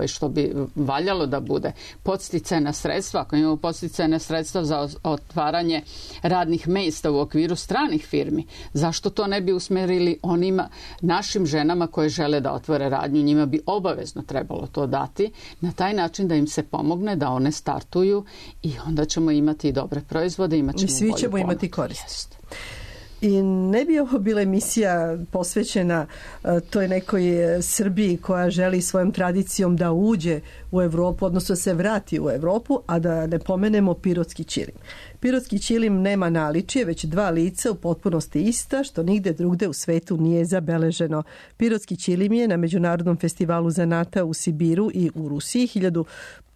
što bi valjalo da bude. Podsticajna sredstva, ako imamo podsticajna sredstva za otvaranje radnih mesta u okviru stranih firmi, zašto to ne bi usmerili onima našim ženama koje žele da otvore radnju? Njima bi obavezno trebalo to dati na taj način da im se pomogne da one startuju i onda ćemo imati i dobre proizvode, imat ćemo svi ćemo imati korist. I ne bi ovo bila emisija posvećena toj nekoj Srbiji koja želi svojom tradicijom da uđe u Evropu, odnosno se vrati u Evropu, a da ne pomenemo pirotski ćilim. Pirotski ćilim nema naličije, već 2 lica u potpunosti ista, što nigde drugde u svetu nije zabeleženo. Pirotski ćilim je na Međunarodnom festivalu zanata u Sibiru i u Rusiji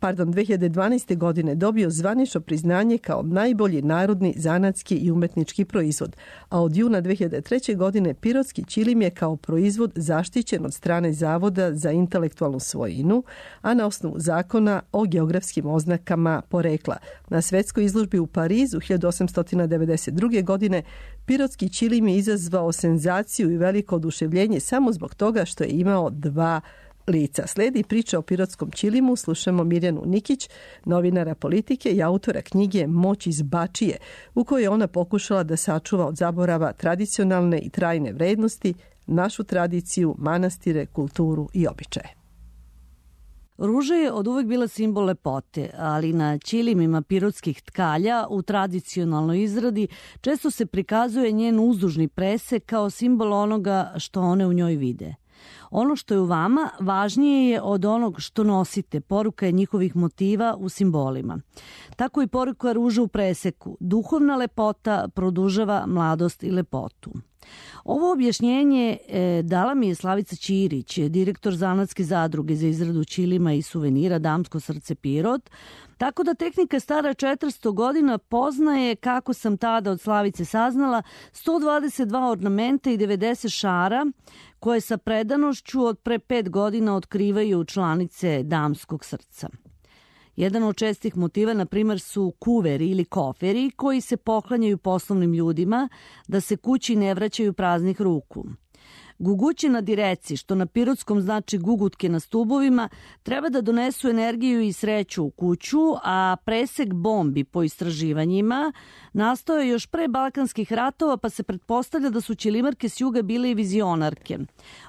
2012. godine dobio zvanično priznanje kao najbolji narodni zanatski i umetnički proizvod, a od juna 2003. godine pirotski ćilim je kao proizvod zaštićen od strane Zavoda za intelektualnu svojinu, a na osnovu zakona o geografskim oznakama porekla. Na svetskoj izložbi u Parizu 1892. godine pirotski ćilim je izazvao senzaciju i veliko oduševljenje samo zbog toga što je imao 2 lica. Sledi priča o pirotskom ćilimu, slušamo Mirjanu Nikić, novinara politike i autora knjige Moć iz Bačije, u kojoj je ona pokušala da sačuva od zaborava tradicionalne i trajne vrednosti, našu tradiciju, manastire, kulturu i običaje. Ruža je od uvek bila simbol lepote, ali na ćilimima pirotskih tkalja u tradicionalnoj izradi često se prikazuje njen uzdužni presek kao simbol onoga što one u njoj vide. Ono što je u vama važnije je od onog što nosite, poruka je njihovih motiva u simbolima. Tako i poruka ruža u preseku. Duhovna lepota produžava mladost i lepotu. Ovo objašnjenje dala mi je Slavica Ćirić, direktor zanatske zadruge za izradu ćilima i suvenira Damsko srce Pirot, tako da tehnika stara 400 godina poznaje, kako sam tada od Slavice saznala, 122 ornamenta i 90 šara koje sa predanošću od pre 5 godina otkrivaju članice Damskog srca. Jedan od čestih motiva, na primjer, su kuveri ili koferi koji se poklanjaju poslovnim ljudima da se kući ne vraćaju praznih ruku. Guguće na direci, što na pirotskom znači gugutke na stubovima, treba da donesu energiju i sreću u kuću, a presek bombi po istraživanjima nastao je još pre Balkanskih ratova, pa se pretpostavlja da su ćilimarke s juga bile i vizionarke.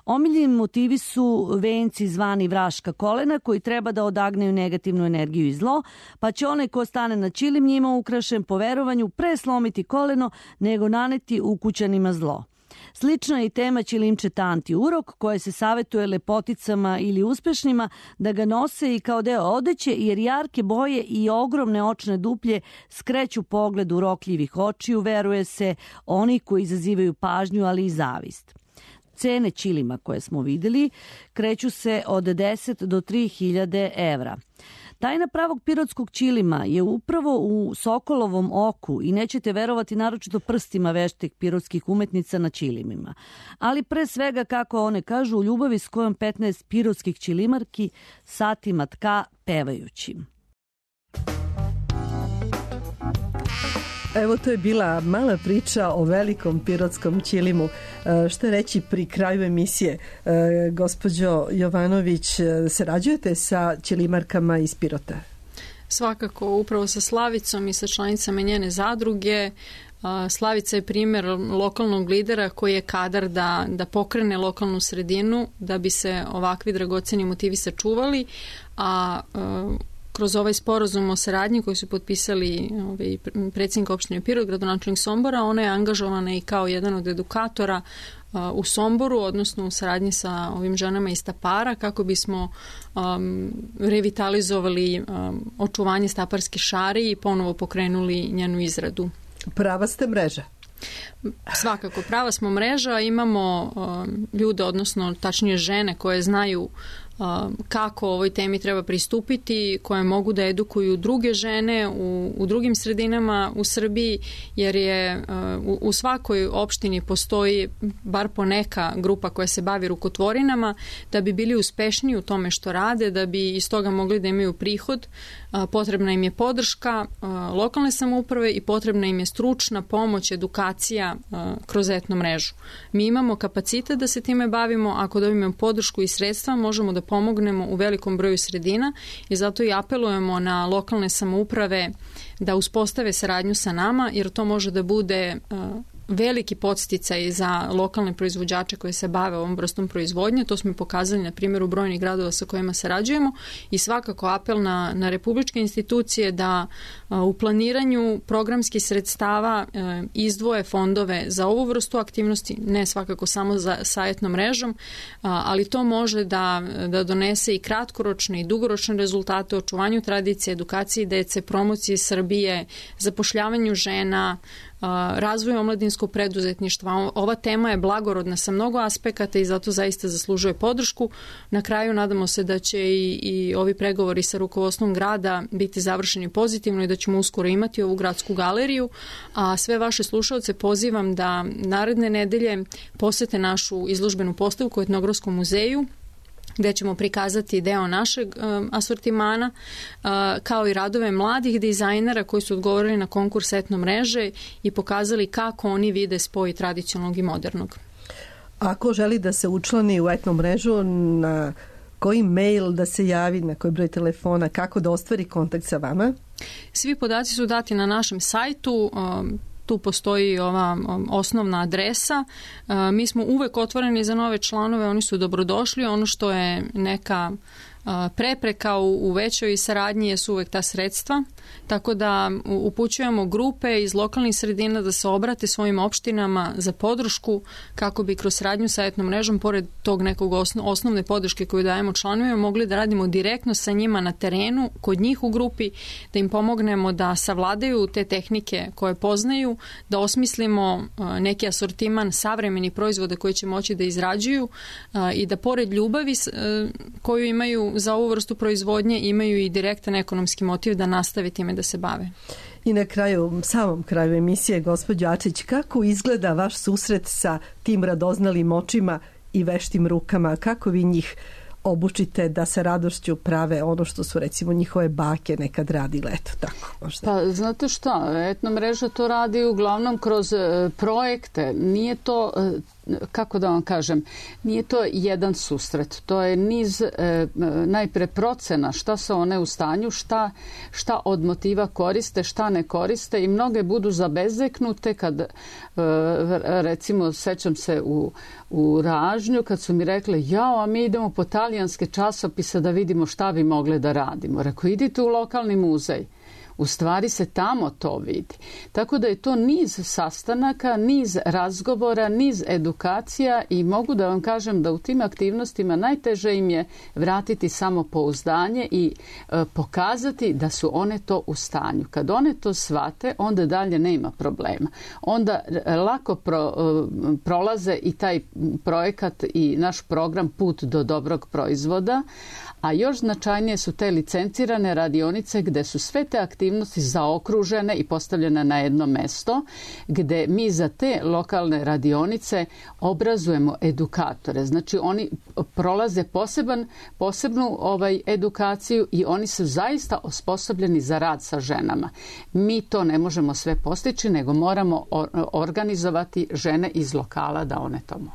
Omiljeni motivi su venci zvani vraška kolena, koji treba da odagnaju negativnu energiju i zlo, pa će onaj ko stane na ćilim njima ukrašen po verovanju pre slomiti koleno nego naneti ukućanima zlo. Slična je i tema ćilimče tanti urok, koje se savetuje lepoticama ili uspešnima da ga nose i kao deo odeće, jer jarke boje i ogromne očne duplje skreću pogled urokljivih očiju, veruje se, oni koji izazivaju pažnju, ali i zavist. Cene ćilima koje smo videli kreću se od 10 do 3000 evra. Tajna pravog pirotskog ćilima je upravo u sokolovom oku i nećete verovati naročito prstima veštih pirotskih umetnica na ćilimima. Ali pre svega, kako one kažu, u ljubavi s kojom 15 pirotskih ćilimarki satima tka pevajući. Evo, to je bila mala priča o velikom pirotskom ćilimu. Što reći pri kraju emisije? Gospođo Jovanović, sarađujete sa ćilimarkama iz Pirota? Svakako, upravo sa Slavicom i sa članicama njene zadruge. Slavica je primjer lokalnog lidera koji je kadar da pokrene lokalnu sredinu da bi se ovakvi dragoceni motivi sačuvali, a kroz ovaj sporazum o saradnji koji su potpisali predsjednik opštine Pirot, gradonačelnik Sombora, ona je angažovana i kao jedan od edukatora u Somboru, odnosno u saradnji sa ovim ženama iz Tapara, kako bismo revitalizovali očuvanje staparske šari i ponovo pokrenuli njenu izradu. Prava ste mreža? Svakako, prava smo mreža, imamo ljude, odnosno tačnije žene koje znaju kako ovoj temi treba pristupiti, koje mogu da edukuju druge žene u drugim sredinama u Srbiji, jer je u svakoj opštini postoji bar po neka grupa koja se bavi rukotvorinama, da bi bili uspešniji u tome što rade, da bi iz toga mogli da imaju prihod. Potrebna im je podrška lokalne samouprave i potrebna im je stručna pomoć, edukacija kroz etno mrežu. Mi imamo kapacitet da se time bavimo, ako dobijemo podršku i sredstva, možemo da pomognemo u velikom broju sredina i zato i apelujemo na lokalne samouprave da uspostave saradnju sa nama, jer to može da bude veliki podsticaj za lokalne proizvođače koji se bave ovom vrstom proizvodnje. To smo pokazali na primjeru brojnih gradova sa kojima sarađujemo i svakako apel na republičke institucije da u planiranju programskih sredstava izdvoje fondove za ovu vrstu aktivnosti, ne svakako samo sa etnom mrežom, ali to može da donese i kratkoročne i dugoročne rezultate u očuvanju tradicije, edukaciji dece, promociji Srbije, zapošljavanju žena, razvoju omladinskog preduzetništva. Ova tema je blagorodna sa mnogo aspekata i zato zaista zaslužuje podršku. Na kraju nadamo se da će i ovi pregovori sa rukovodstvom grada biti završeni pozitivno i da ćemo uskoro imati ovu gradsku galeriju, a sve vaše slušaoce pozivam da naredne nedelje posete našu izložbenu postavku u Etnografskom muzeju, gde ćemo prikazati deo našeg asortimana, kao i radove mladih dizajnera koji su odgovorili na konkurs etno mreže i pokazali kako oni vide spoj tradicionalnog i modernog. Ako želi da se učlani u etno mrežu, na koji mail da se javi, na koji broj telefona, kako da ostvari kontakt sa vama? Svi podaci su dati na našem sajtu. Tu postoji ova osnovna adresa. Mi smo uvek otvoreni za nove članove, oni su dobrodošli. Ono što je neka prepreka u većoj saradnji jesu uvek ta sredstva, tako da upućujemo grupe iz lokalnih sredina da se obrate svojim opštinama za podršku kako bi kroz saradnju sa etnom mrežom, pored tog nekog osnovne podrške koju dajemo članovima, mogli da radimo direktno sa njima na terenu, kod njih u grupi, da im pomognemo da savladaju te tehnike koje poznaju, da osmislimo neki asortiman savremenih proizvoda koji će moći da izrađuju i da pored ljubavi koju imaju za ovu vrstu proizvodnje imaju i direktan ekonomski motiv da nastave time da se bave. I na kraju, samom kraju emisije, gospođo Ačić, kako izgleda vaš susret sa tim radoznalim očima i veštim rukama? Kako vi njih obučite da sa radošću prave ono što su recimo njihove bake nekad radile, eto tako možda? Pa znate šta, etno mreža to radi uglavnom kroz projekte. Nije to, kako da vam kažem, nije to jedan susret. To je niz najpre procena šta su one u stanju, šta od motiva koriste, šta ne koriste i mnoge budu zabezeknute kad recimo sećam se u Ražnju kad su mi rekli a mi idemo po talijanske časopise da vidimo šta bi mogli da radimo. Rekao, idite u lokalni muzej. U stvari se tamo to vidi. Tako da je to niz sastanaka, niz razgovora, niz edukacija i mogu da vam kažem da u tim aktivnostima najteže im je vratiti samopouzdanje i pokazati da su one to u stanju. Kad one to shvate, onda dalje nema problema. Onda lako prolaze i taj projekat i naš program Put do dobrog proizvoda, a još značajnije su te licencirane radionice gde su sve te aktivnosti zaokružene i postavljene na jedno mesto, gde mi za te lokalne radionice obrazujemo edukatore. Znači oni prolaze posebnu edukaciju i oni su zaista osposobljeni za rad sa ženama. Mi to ne možemo sve postići, nego moramo organizovati žene iz lokala da one to mogu.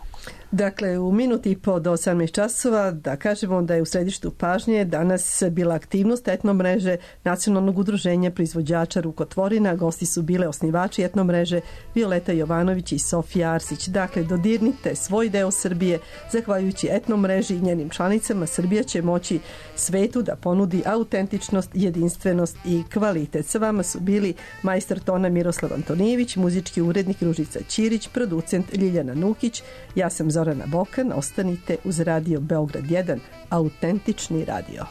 Dakle, u minuti i po do 18 časova da kažemo da je u središtu pažnje danas bila aktivnost etno mreže Nacionalnog udruženja proizvođača rukotvorina. Gosti su bile osnivači etno mreže Violeta Jovanović i Sofija Arsić. Dakle, dodirnite svoj deo Srbije. Zahvaljujući etno mreži i njenim članicama, Srbija će moći svetu da ponudi autentičnost, jedinstvenost i kvalitet. Sa vama su bili majstor tona Miroslav Antonijević, muzički urednik Ružica Ćirić, producent Ljiljana Nukić. Ja sam Zorana Bokan, ostanite uz Radio Beograd 1, autentični radio.